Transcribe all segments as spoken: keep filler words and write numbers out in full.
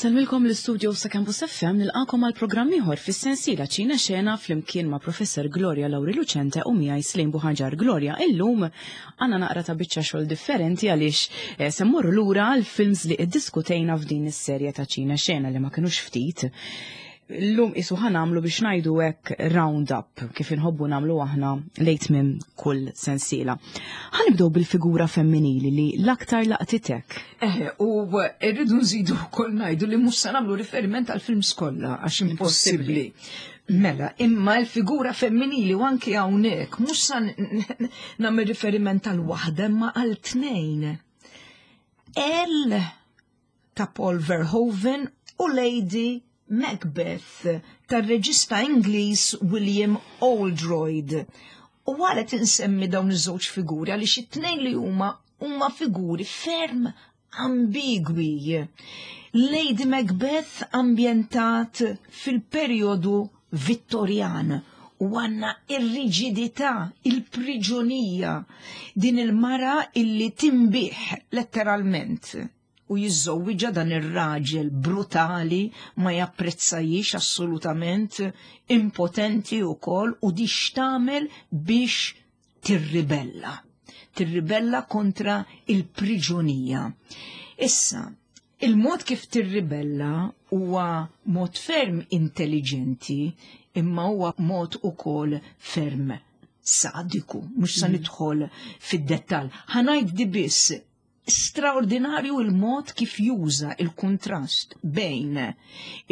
Insellmilkom l-istudio sa' Campus F M, nilqakom għal programm ieħor fis-sensiela Ċina Xena flimkien ma' Professor Gloria Lauri Lucente u miegħi Slim Buħanġar. Gloria, illum għandna naqra ta' biċċa xogħol differenti għaliex eh, se mmorru lura għal films li iddiskutejna f'din is-serje ta' Ċina Xena, li ma kinux ftit. Illum isu ħa nagħmlu, biex ngħidu hekk, round up, kif inħobbu nagħmlu aħna lejn tmiem kull sensiela. Ħa nibdew bil-figura femminili li l-aktar laqtitek. Eh, u rridu nżidu wkoll ngħidu li mhux se nagħmlu riferiment għal films kollha għax impossibbli. Mela, imma l-figura femminili, u anki hawnhekk mhux se nagħmel riferiment għal waħda imma għal tnejn. Elle ta' Paul Verhoeven u Lady Macbeth tar-reġista Ingliż William Oldroyd. U għalet insemmi dawn iż-żewġ figuri għaliex it-tnejn li huma huma figuri ferm ambigwi. Lady Macbeth ambjentat fil-perjodu Vittorjan u għandna ir-riġidità, il-priġonija, din il-mara illi tinbiegħ letteralment u jiżżewwiġha dan ir-raġel brutali, ma japprezzajix assolutament, impotenti wkoll, u di x'tagħmel biex tirribella. Tirribella kontra il-priġonija. Issa, il-mod kif tirribella huwa mod ferm intelligenti, imma huwa mod ukoll ferm sadiku, mhux sa nidħol fid-dettall. Ħa ngħid di biss: straordinarju il-mod kif juża il-kontrast bejn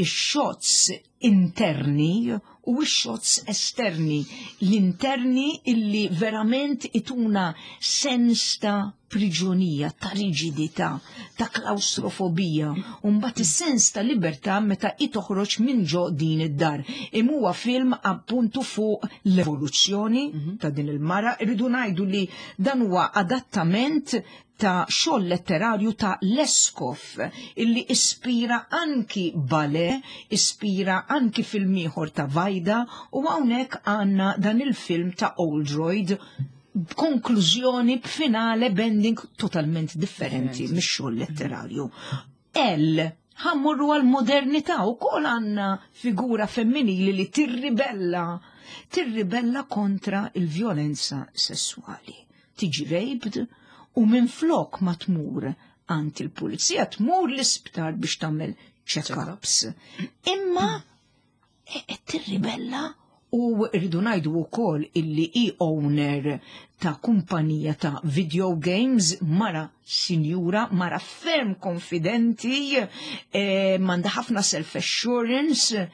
ix-shots interni u x-shots esterni. L-interni illi verament ituna sens ta' priġonija, ta' riġidità, ta' klaustrofobija, u mbagħad is-sens ta' libertà meta i toħroġ minn ġo din id-dar. Imma huwa film appuntu fuq l-evoluzzjoni ta' din il-mara. Irridu ngħidu li dan huwa adattament ta' xogħol letterarju ta' Leskov illi ispira anki ballet, ispira anki film ieħor ta' Vajda, u hawnhekk għandna dan il-film ta' Oldroyd b'konklużjoni, b'finale, b'ending totalment differenti mix-xogħol letterarju. Elle, ħa mmorru għal-modernità, u kol għandna figura femminili li tirribella, tirribella kontra il-vjolenza sessuali. Tiġi raped u minn flok ma tmur għand il-pulizija tmur l-isptar biex tagħmel check-ups. Imma e- tirribella, u rridu ngħidu wkoll illi i owner ta' kumpanija ta' video games, mara sinjura, mara ferm konfidenti, eh, m'għandha ħafna self-assurance,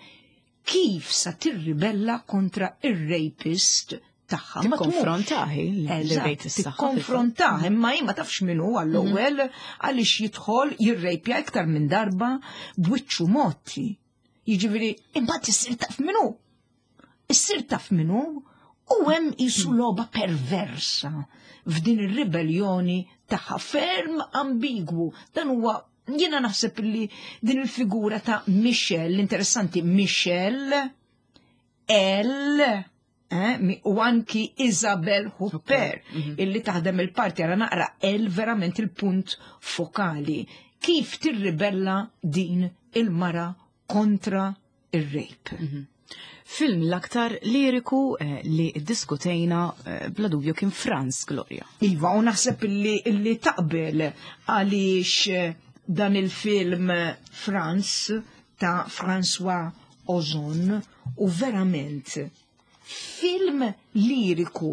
kif sa tirribella kontra ir-rapist tagħha? Ma tmurx. Tikkonfrontahi l-rapist tagħha. Tikkonfrontah, imma hi ma tafx minnu għall-ewwel għaliex jidħol jirrejpja iktar minn darba b'wiċċu motti. Jiġifieri, imbagħad issir taf minnu. Issir taf minnu u hemm jisu logħba perversa f'din ir-ribellioni tagħha, ferm ambigwu. Dan huwa, jiena naħseb li din il-figura ta' Michelle, interessanti, Michelle, Elle, eh, mi- u anki Isabelle Huppert, illi taħdem il-parti, għara naqra Elle verament il-punt fokali. Kif tirribella din il-mara kontra il-rape? Film l-aktar liriku eh, li diskutejna eh, bla dubju kien Franz, Gloria. Iva, u naħseb illi, illi taqbel għaliex eh, dan il-film Franz ta' François Ozon u verament film liriku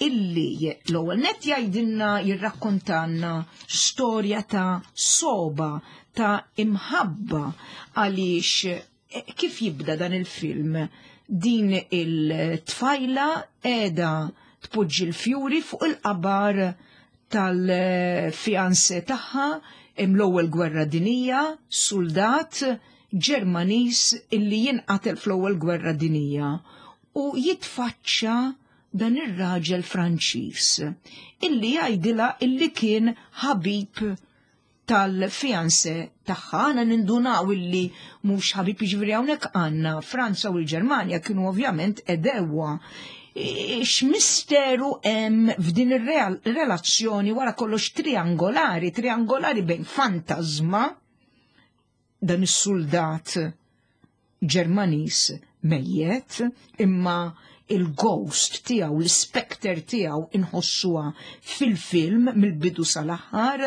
illi l-ewwel net jgħidilna, jirrakkontanna storja ta' soba, ta' imħabba, għaliex eh, kif jibda dan il-film, din il-tfajla qiegħda tpoġġi l-fjuri fuq il-qabar tal-fiancé tagħha l-ewwel gwerra dinija, soldat Ġermaniż illi jinqatel fl-ewwel gwerra dinija, u jitfaċċa dan ir-raġel Franċiż illi jgħidilha illi kien ħabib tal-fiancé tagħha. Għana nindunaw illi mhux ħabib, jiġifieri hawnhekk għandna Franza u l-Ġermanja kienu ovvjament għedewwa. X'misteru hemm f'din ir-relazzjoni wara kollox triangolari, triangolari bejn fantasma Dan is-soldat Ġermanis mejjet, imma il-ghost tiegħu, l-specter tiegħu inħossuha fil-film mill-bidu sal-aħħar.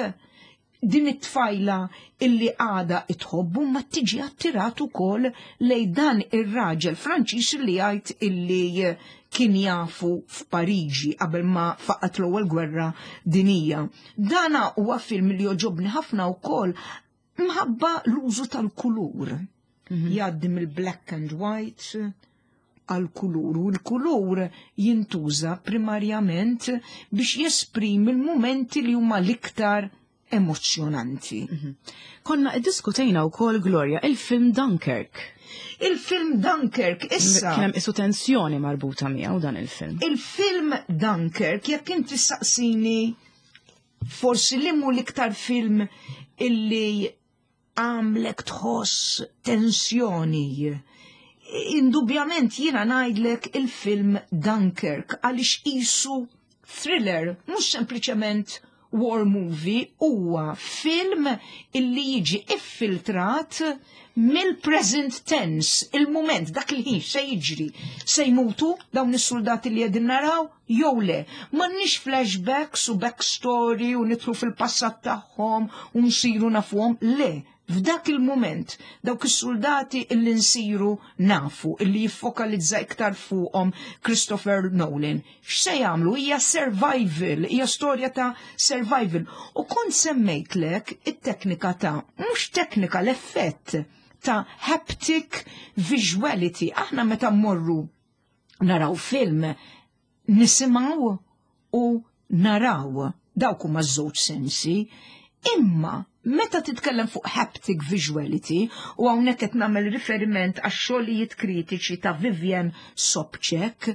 Din it-tfajla illi għada itħobbu ma tiġi attirat ukoll lej dan ir-raġel Franċiż li jgħid illi kien jafu f'Pariġi qabel ma faqat l-ewwel gwerra dinija. Dana huwa film li joġobni ħafna wkoll mħabba l-użu tal-kulur. Mhm. Jgħaddi mill-black and white għal kulur u l-kulur jintuża primarjament biex jesprimi l-momenti li huma l-iktar emozjonanti. Mhm. Konna iddiskutejna wkoll, Gloria, il-film Dunkirk. Il-film Dunkirk issa. Kien hemm isu tensjoni marbuta miegħu dan il-film. Il-film Dunkirk, jekk inti saqsini forsi li mu l-iktar film illi għamlek tħoss tensjoni. Indubjament jiena ngħidlek il-film Dunkirk għaliex isu thriller, mhux sempliċement war movie, huwa film illi jiġi iffiltrat mill-present tense, il-moment, dak il-ħin se jiġri, se jmutu dawn is-soldati li qegħdin naraw jew le. M'għandniex flashbacks u backstory u nidħlu fil-passat tagħhom u nsiru nafuhom, le. F'dak il-moment, dawk is-soldati illi nsiru nafu, illi jiffokalizza iktar fuqhom Christopher Nolan. X'se jagħmlu? Hija survival, hija storja ta' survival. U kont semmejtlek it-teknika ta' mhux teknika, l-effett ta' haptic visuality. Aħna meta mmorru naraw film, nisimgħu u naraw, dawk huma żewġ sensi, imma meta titkellem fuq haptic visuality, u hawnhekk qed nagħmel riferiment għax xogħlijiet kritiċi ta' Vivian Sobchack,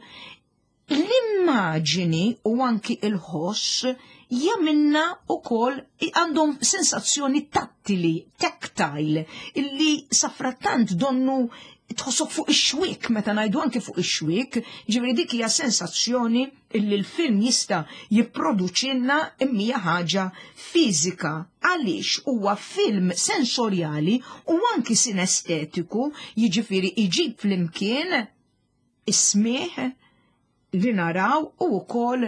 l-immaġini u anki il-ħoss jagħmilna ukoll għandhom sensazzjoni tattili, tactile, illi safrattant donnu tħossok fuq ix-xwik, meta ngħidu anke fuq ix-xwik, ġifieri dik hija sensazzjoni illi l-film jista' jipproduċilna imma ħaġa fiżika għaliex huwa film sensorjali u anki sinestetiku, jiġifieri iġib flimkien is-smieħ, li naraw u wkoll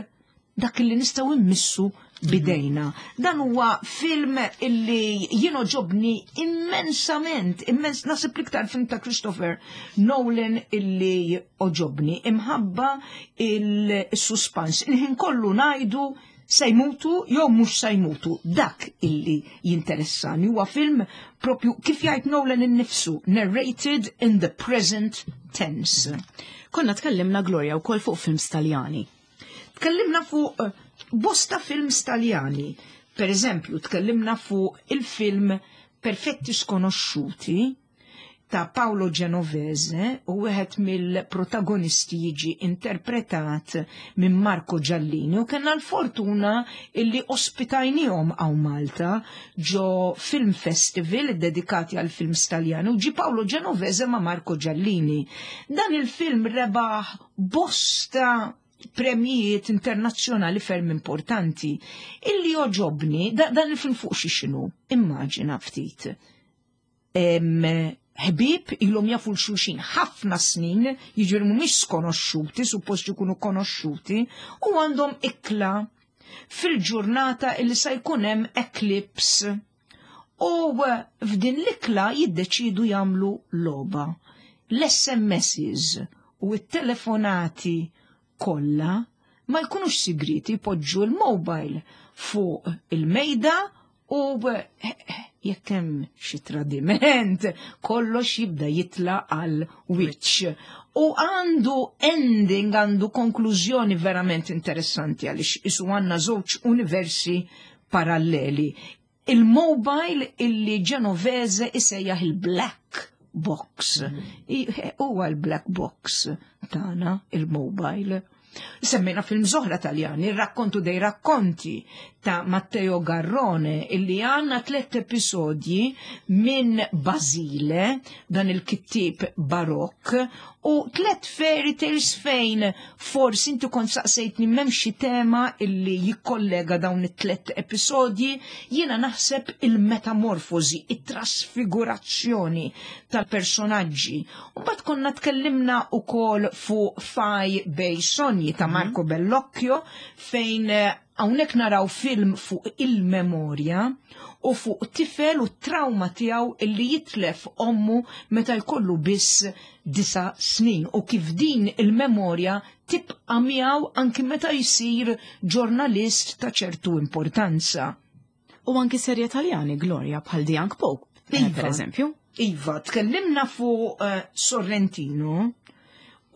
dak li nistgħu immissu bidejna. Dan huwa film illi jien għoġobni immensament, immens, naħseb l-iktar film ta' Christopher Nolan illi għoġobni, imħabba il-suspans. Il-ħin kollu ngħidu se jmutu jew mhux se jmutu. Dak illi jinteressani huwa film propju kif jgħid Nolan innifsu, narrated in the present tense. Konna tkellimna, Gloria, wkoll fuq films Taljani. Tkellimna fuq eh, bosta films Taljani. Per eżempju, tkellimna fuq il-film Perfetti Sconosciuti ta' Paolo Genovese u wieħed mill-protagonisti jiġi interpretat minn Marco Giallini u kellna l-fortuna illi ospitajnihom hawn Malta ġo Film Festival dedikati għal film Taljani u ġi Paolo Genovese ma' Marco Giallini. Dan il-film rebaħ bosta premijiet internazzjonali ferm importanti. Illi joġobni, da, dan il-film fuq xi xinu, immaġina ftit. Ħbieb ilhom jafu 'l xulxin ħafna snin, jiġifieri mhumiex skonoxxuti, suppost jkunu konoxxuti, u għandhom ikla fil-ġurnata illi sa jkun hemm eclipse. U f'din l-ikla jiddeċidu jagħmlu logħba. L-S M Ss u t-telefonati kollha ma jkunux sigriti, jpoġġu l-mobile fuq il-mejda u jekk hemm xi tradiment, kollox jibda jitla għal wiċċ. U għandu ending, għandu konklużjoni verament interessanti għaliex isu għandna żewġ universi paralleli. Il-mobile illi Genovese isejjaħ il-black box. Huwa l-black box tagħna il-mobile. Semmejna films oħra Taljani, Racconto dei racconti ta' Matteo Garrone, illi għanna tlet episodji minn Basile, dan il-kittib barokk, u tlet fairy tales fejn forsi inti kont saqsejtni m'hemm xi tema illi jikkollega dawn it-tlet episodji, jiena naħseb il-metamorfosi, it-trasfigurazzjoni tal-personaġġi. U mbagħad konna tkellimna ukoll fuq Fai bei sogni ta' Marco Bellocchio, fejn eh, hawnhekk naraw film fuq il-memorja u fuq tifel u trauma tiegħu illi jitlef ommu meta jkollu biss disa snin u kif din il-memorja tibqa' miegħu anki meta jsir ġurnalist ta' ċertu importanza. U anki serje Taljani, Gloria, bħal The Young Pope, eh, Iva. per eżempju. Iva, tkellimna fuq eh, Sorrentino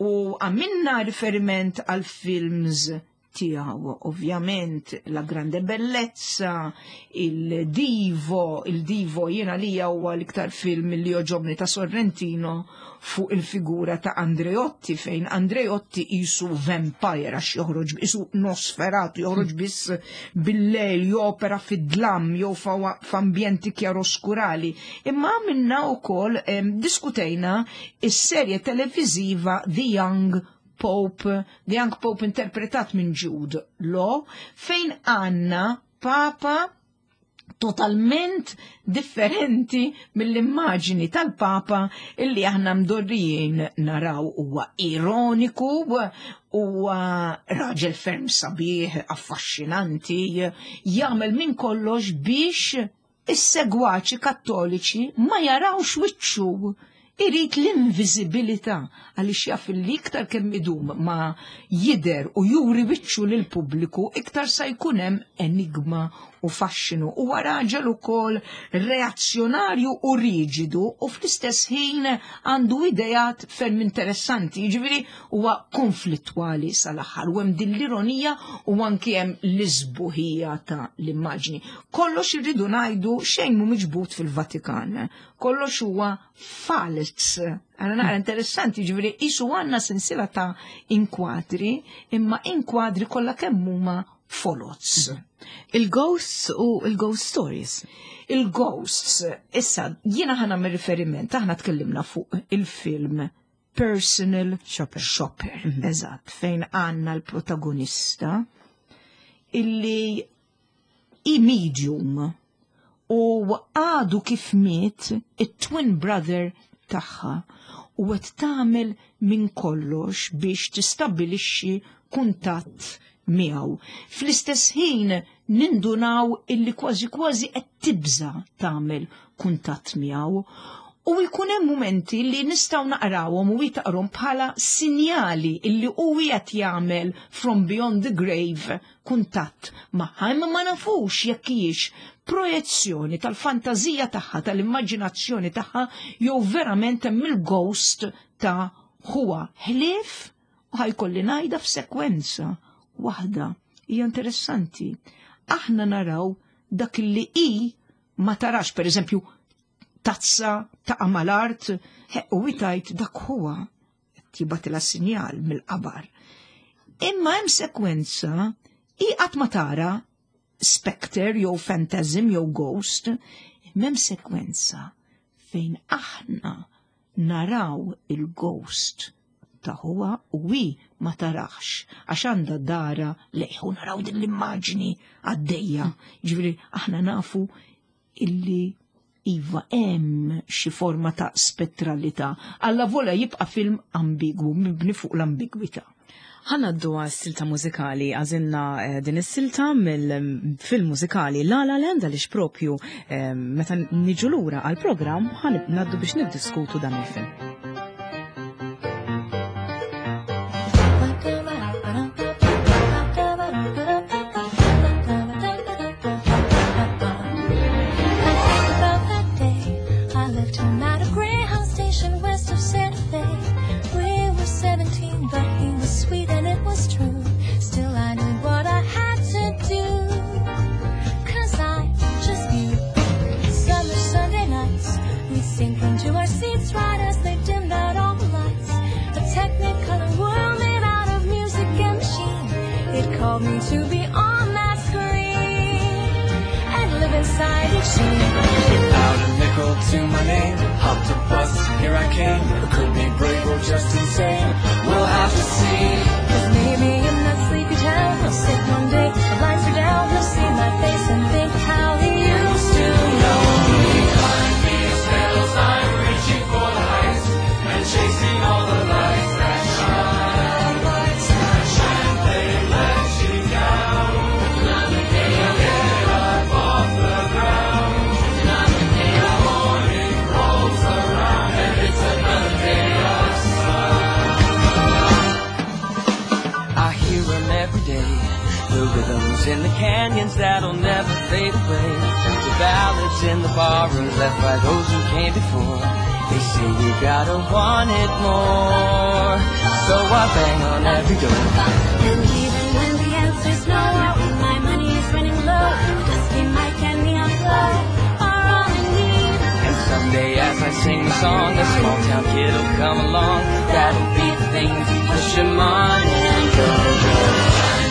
u għamilna riferiment għal films tiegħu, ovvjament La Grande Bellezza, il Divo, il Divo jiena li huwa l-iktar film li joġobni ta' Sorrentino fuq il-figura ta' Andreotti, fejn Andreotti qisu vampire għax joħroġ qisu Nosferatu, joħroġ biss bil-lejl, jopera fid-dlam, jew fa- f'ambjenti kjaroskurali. Imma għamilna wkoll em, diskutejna is-serje televiziva The Young Pope, The Young Pope interpretat minn Jude Law, fejn għanna papa totalment differenti mill-immaġini tal-papa illi aħna mdorrijin naraw. Huwa ironiku, huwa raġel ferm sabiħ, affaxxinanti, jagħmel minn kollox biex is-segwaċi kattoliċi ma jarawx wiċċu, irid l-inviżibilità għaliex jaf li iktar kemm idum ma jider u juri wiċċu lil pubbliku iktar sa jkun hemm enigma u faxxinu. Huwa raġel ukoll reazzjonarju u riġidu u fl-istess ħin għandu idejat ferm interessanti, jiġifieri huwa konflittwali sal-aħħar u hemm din l-ironija u anki hemm l-isbuħija ta' l-immaġni. Kollox irridu ngħidu, xejn mhu miġbud fil-Vatikan. Kollox huwa fals. Għana naqra interessanti, ġifieri qisu għandna sensiela ta' inkwatri, imma inkwadri kollha kemm huma foloz. Il-ghosts u il-ghost stories. Il-ghosts, issa, jiena ħa nagħmel riferiment, aħna tkellimna fuq il-film Personal Shopper. Shopper, eżatt, fejn għanna l-protagonista illi i medium u għadu kif miet it-twin brother tagħha u qed tagħmel minn kollox biex tistabbilixxi kuntatt miegħu. Fl-istess ħin nindunaw illi kważi kważi qed tibża tagħmel kuntatt miegħu. U jkun hemm mumenti li nistgħu naqrawhom u jtaqrom bħala sinjali illi hu qed jagħmel from beyond the grave kuntatt magħha, imma ma nafux jekk hijiex projezzjoni tal-fantażija tagħha, tal-immaġinazzjoni tagħha, jew verament hemm il-ghost ta' huwa ħlief u ħa jkolli ngħidha f'sekwenza waħda hija interessanti. Aħna naraw dak li i ma tarax, per eżempju, tazza ta' mal-art, u tgħid dak huwa jibgħatilha sinjal mill-qabar. Imma hemm sekwenza i qatt ma tara specter jew phantasm jew ghost, imma hemm sekwenza fejn aħna naraw il-ghost ta' huwa u wi ma tarax għax għandha dara lejh u naraw din l-immaġni għaddejja. Ġifieri aħna nafu illi iva hemm xi forma ta' spettralità. Alla vola jibqa' film ambigwu, mibni fuq l-ambigwità. Ħa ngħaddu għas-silta mużikali, għażilna eh, din is-silta mill-film mużikali La La Land għaliex propju eh, meta niġu lura għal-programm ħa ngħaddu biex niddiskutu dan il-film. I think about that day I left him at a Greyhound station west of Santa Fe. We were seventeen, but he was sweet and it was true. Still, I knew what I had to do. 'Cause I just knew. Summer Sunday nights, we'd sink into our seats right as they told me to be on that screen and live inside each scene. Without a nickel to my name, hopped a bus, here I came. It could be brave or just insane. We'll have to see. Cause maybe in that sleepy town, he'll sit one day, the blinds are down, he'll see my face and think how he used to know me. Behind these hills, I'm reaching for the heights and chasing all the lights that shine. Lights that shine, they let you down. Get up off the ground. The morning rolls around and it's another day of sun. I hear 'em every day. The rhythms in the canyons that'll never fade away. The ballads in the barrooms left by those who came before. They say you gotta want it more. So I bang on every door. And even when the answer's no, when my money is running low, a dusty mic and neon glow are all I need. And someday as I sing the song, a small town kid will come along. That'll be the thing to push him on and go, go.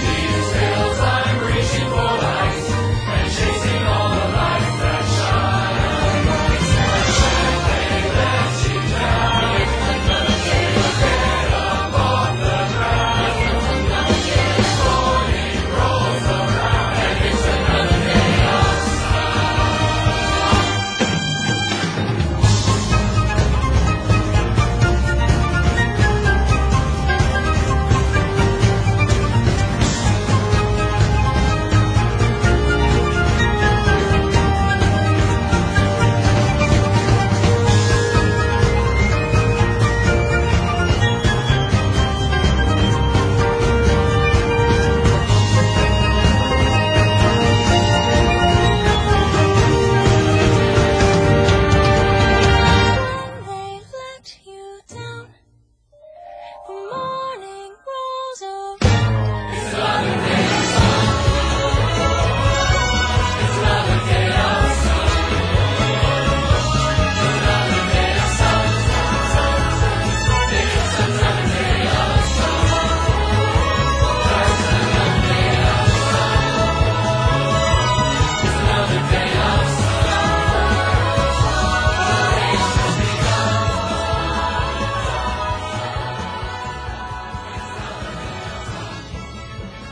These hills, I'm reaching for the heights and chasing all the lights that shine. Lights that shine, they let you down. Get up off the ground. Morning rolls around and it's another day of sun. When they let you down, the morning rolls around. It's another day of sun. It's another day of sun. It's another day of sun. Just another day of sun. It's another day of sun. The day's just begun.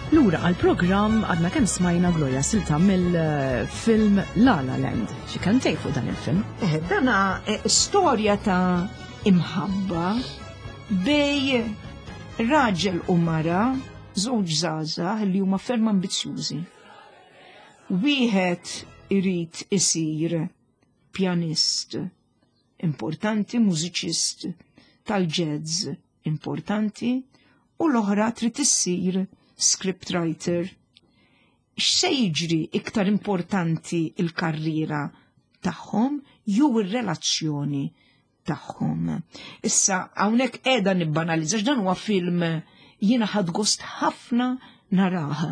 Lura għal-programm għadna kemm smajna Gloria silta mill-film La La Land. Xi kelmtejn fuq dan il-film? Eh, dana eh, storja ta' imħabba bejn raġel u mara, żewġ żgħażagħ li huma ferm ambizzjużi. Wieħed irid isir pjanist importanti, mużiċist tal-jazz importanti, u l-oħra trid issir scriptwriter. X'se jiġri iktar importanti il-karriera tagħhom jew ir-relazzjoni tagħhom. Issa hawnhekk qiegħda nibbanalizza dan huwa film jiena ħadt gost ħafna narah.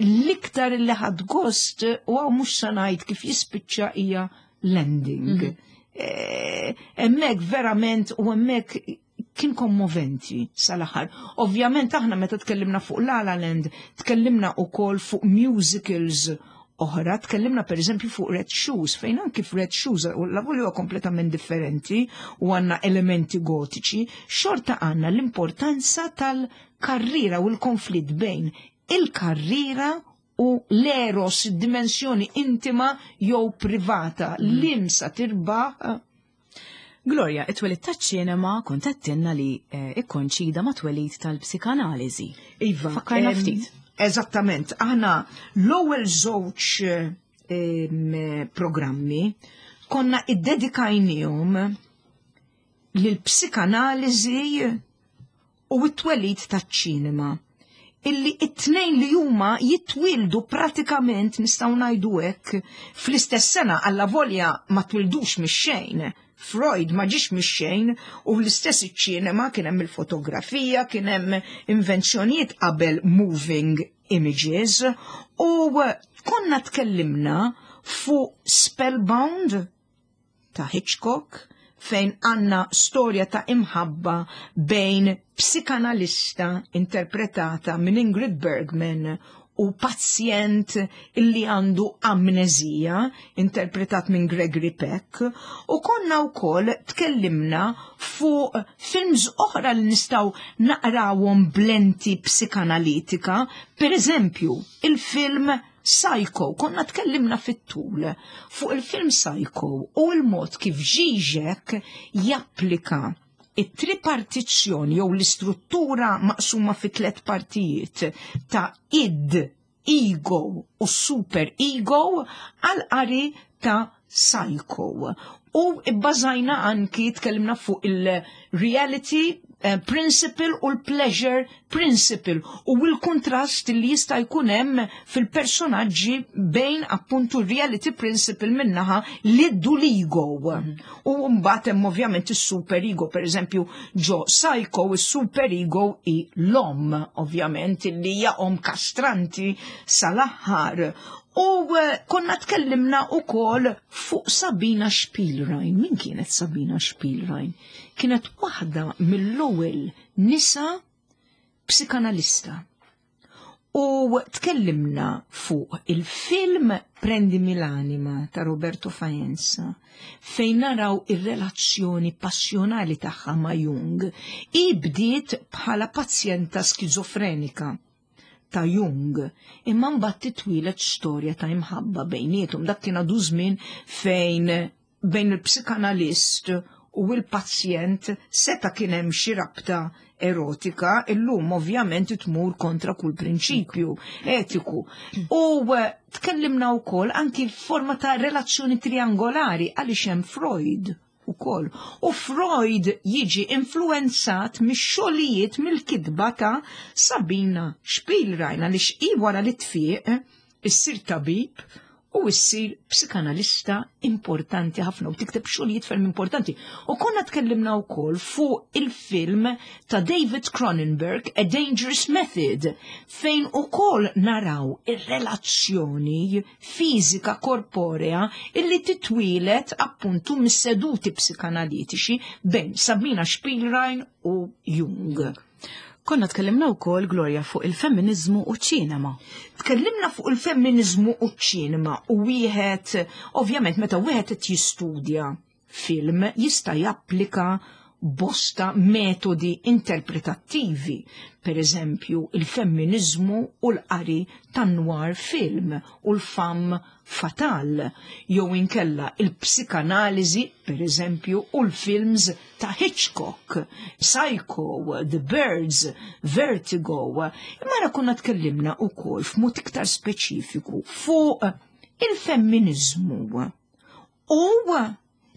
L-iktar li ħadt gost u hawn mhux se ngħid kif jispiċċa hija l-ending. Eh, Hemmhekk verament u hemmhekk kien kommoventi sal-aħħar. Ovvjament aħna meta tkellimna fuq La La Land, tkellimna ukoll fuq musicals oħra, tkellimna per eżempju fuq Red Shoes, fejn anki f'Red Shoes, u la huwa kompletament differenti u għandna elementi gotiċi, xorta għandna l-importanza tal-karriera u l-konflitt bejn il-karriera u l-eros, dimensjoni intima jew privata, l-imsa tirbaħ. Gloria, it-twelid taċ-ċinema kont għedtilna li eh, ikkoinċida ma' twelid tal-psikanaliżi. Iva. Fakkarna em, ftit. Eżattament, aħna l-ewwel żewġ em, programmi konna iddedikajnihom lill-psikanaliżi u t-twelid taċ-ċinema. Illi it-tnejn li huma jitwildu pratikament nistgħu ngħidu hekk fl-istess sena alla volja ma twildux mix-xejn. Freud ma ġiex mix-xejn u l-istess iċ-ċinema kien hemm il-fotografija, kien hemm invenzjonijiet qabel moving images u konna tkellimna fuq Spellbound ta' Hitchcock fejn għanna storja ta' imħabba bejn psikanalista interpretata minn Ingrid Bergman u pazjent illi għandu amnezija, interpretat minn Gregory Peck, u konna wkoll tkellimna fuq films oħra li nistgħu naqrawhom b'lenti psikanalitika, per eżempju, il-film Psycho, konna tkellimna fit-tul fuq il-film Psycho u l-mod kif Žižek japplika it-tripartizzjoni jew l-istruttura maqsuma fi tliet partijiet ta' id, ego u super ego għal qari ta' Psycho. U bbażajna anki tkellimna fuq il-reality eh, principle u l-pleasure principle u l-kontrast li jista' jkun hemm fil-personaġġi bejn appuntu reality principle minnaħa l-id u l-ego. U mbagħad hemm ovvjament is-super ego, per eżempju ġo Psycho is-super ego hi l-omm ovvjament li hija om kastranti sal-aħħar. U eh, konna tkellimna ukoll fuq Sabina Spielrein. Min kienet Sabina Spielrein? Kienet waħda mill-ewwel nisa psikanalista. U tkellimna fuq il-film Prendimi l'anima ta' Roberto Faenza, fejn naraw ir-relazzjoni passjonali tagħha ma' Jung. I bdiet bħala pazjenta skizofrenika ta' Jung, imma mbagħad titwieled storja ta' imħabba bejniethom. Dak kien għadu żmien fejn bejn il-psikanalist u il-pazjent seta' kien hemm xi rabta erotika, illum ovvjament tmur kontra kull prinċipju etiku. U eh, tkellimna wkoll anki forma ta' relazzjoni triangolari għaliex hemm Freud ukoll. U Freud jiġi influenzat mix-xogħlijiet mill-kitba ta' Sabina Spielrein għaliex hi wara li tfieq issir tabib u issir psikanalista importanti ħafna u tikteb xogħlijiet ferm importanti. U konna tkellimna wkoll fuq il-film ta' David Cronenberg, A Dangerous Method, fejn ukoll naraw ir-relazzjoni fiżika korporea illi titwieled appuntu mis-seduti psikanalitiċi bejn Sabina Spielrein u Jung. Konna tkellimna wkoll, Gloria, fuq il-femminizmu u ċinema. Tkellimna fuq il-femminizmu u ċinema u wieħed, ovvjament, meta wieħed qed jistudja film jista' japplika bosta metodi interpretattivi, per eżempju il-femminizmu u l-qari tan-noir film u l-femme fatale, jew inkella il-psikanaliżi, per eżempju, u l-films ta' Hitchcock, Psycho, The Birds, Vertigo. Imma ra konna tkellimna ukoll f'mod iktar speċifiku fuq il-femminizmu u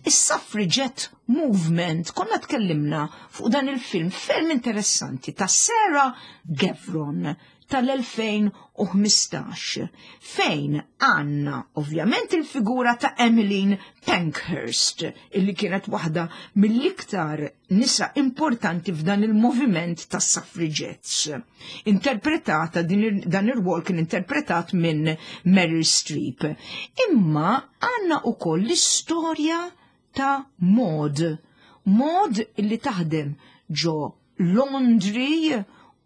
is-suffragette movement. Konna tkellimna fuq dan il-film ferm interessanti ta' Sarah Gavron tal-elfejn u ħmistax, fejn għanna ovvjament il-figura ta' Emmeline Pankhurst, illi kienet waħda mill-iktar nisa importanti f'dan il-moviment tas suffragettes. Interpretata, din, dan ir-rwol kien interpretat minn Meryl Streep. Imma għanna ukoll l-istorja ta' Maud. Maud illi taħdem ġo laundry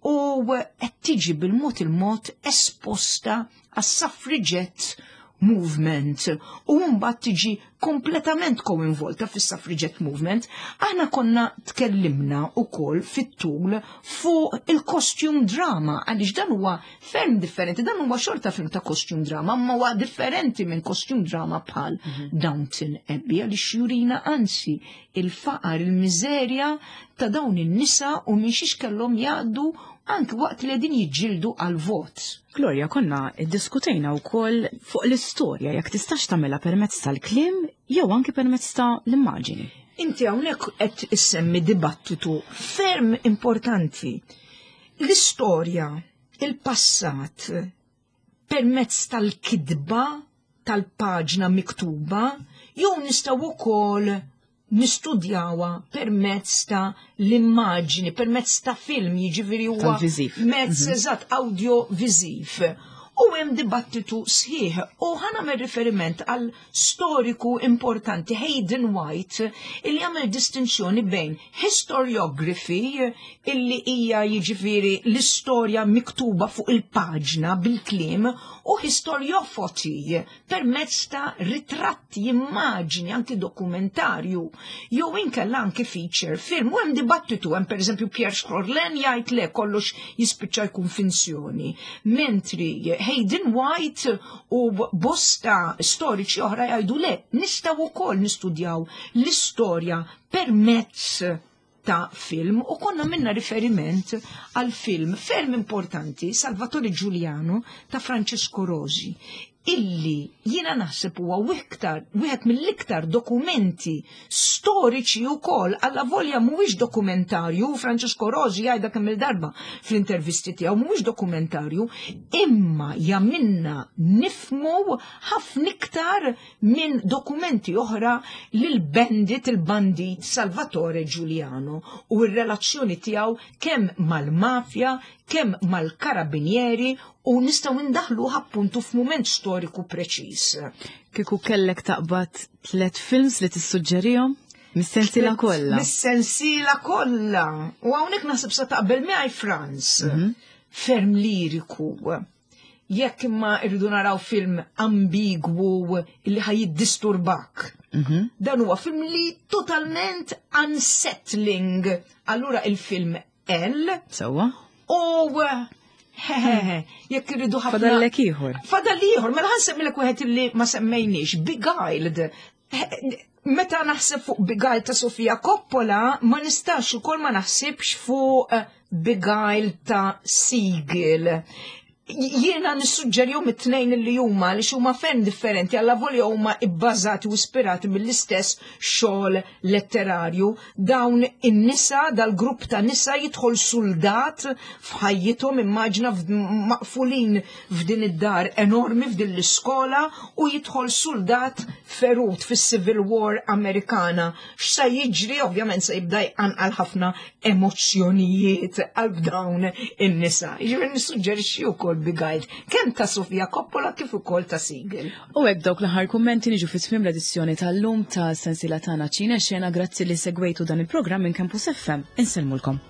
u qed tiġi bil-mod il-mod esposta għas-suffragette movement u mbagħad tiġi kompletament koinvolta fis-suffragette movement. Aħna konna tkellimna wkoll fit-tul fuq il-costume drama għaliex dan huwa ferm differenti, dan huwa xorta film ta' costume drama, ma huwa differenti minn costume drama bħal Downton Abbey għaliex jurina anzi il-faqar, il-miżerja ta' dawn in-nisa u minn xiex kellhom jgħaddu anki waqt li qegħdin jiġġieldu għal-vot. Gloria, konna iddiskutejna wkoll fuq l-istorja jekk tistax tagħmilha permezz tal-kliem jew anki permezz ta' l-immaġini. Inti hawnhekk qed issemmi dibattitu ferm importanti. L-istorja, il-passat, permezz tal-kidba, tal-paġna miktuba, jew nistgħu wkoll nistudjawha permezz ta' l-immaġni, permezz ta' film, jiġifieri huwa Tal-viżiv. mezz eżatt audio-viżiv. U hemm dibattitu sħiħ u ħa nagħmel riferiment għal storiku importanti Hayden White, illi għamel distinzjoni bejn historiography, illi hija jiġifieri l-istorja miktuba fuq il-paġna bil-kliem, u historiofoti permezz ta' ritratti, immaġni, anki dokumentarju, jew inkella anki feature film. U hemm dibattitu, hemm pereżempju Pierre Sorlin jgħid le, kollox jispiċċa jkun finzjoni. Mentri Hayden White u bosta storiċi oħra jgħidu le, nistgħu wkoll nistudjaw l-istorja permezz ta' film. U konna minna riferiment għal film ferm importanti, Salvatore Giuliano ta' Francesco Rosi, illi jiena naħseb huwa wiktar, wieħed mill-iktar dokumenti storiċi wkoll, alla volja mhuwiex dokumentarju. Francesco Rosi jgħidha kemm il-darba fl-intervisti tiegħu, mhuwiex dokumentarju, imma jagħmilna nifmu ħafna iktar minn dokumenti oħra lil bandit, il-bandit Salvatore Giuliano u r-relazzjoni tiegħu kemm mal-mafja, kemm mal-karabinieri, u nistgħu ndaħlu appuntu f'mument storiku preċiż. Kieku kellek taqbad tlet films li tissuġġerihom? Mis-sensiela kollha. Mis-sensiela kollha. U hawnhekk naħseb sa taqbel miegħi, Franz. Ferm liriku. Jekk imma irridu naraw film ambigwu illi ħa jiddisturbak. Dan huwa film li totalment unsettling. Allura il-film Elle Sewwa. u jekk irridu ħafna. Fadallek ieħor. Fadal ieħor, mela ħa nsemmilek wieħed illi ma semmejniex, Beguiled. Meta naħseb fuq Beguiled ta' Sofia Coppola, ma nistax ukoll ma naħsibx fuq eh, Beguiled ta' Siegel. Jiena nissuġġerihom it-tnejn li huma li huma ferm differenti, alla volja huma ibbażati u ispirati mill-istess xogħol letterarju. Dawn in-nisa, dal-grupp ta' nisa, jidħol soldat f'ħajjithom, immaġna maqfulin f'din id-dar enormi, f'din l-iskola, u jidħol soldat ferut fis-Civil War Amerikana. X'sa jiġri? Ovvjament se jibda jqanqal ħafna emozzjonijiet għal dawn in-nisa. Jiġifieri nissuġġerixxi wkoll Beguiled, kemm ta' Sofia Coppola kif ukoll ta' Siegel. U hekk dawk l-aħħar kummenti niġu fi tmiem l-edizzjoni tal-lum ta' sensiela tagħna Ċine Xena. Grazzi li segwejtu dan il-programm minn Campus F M. Insellmulkom.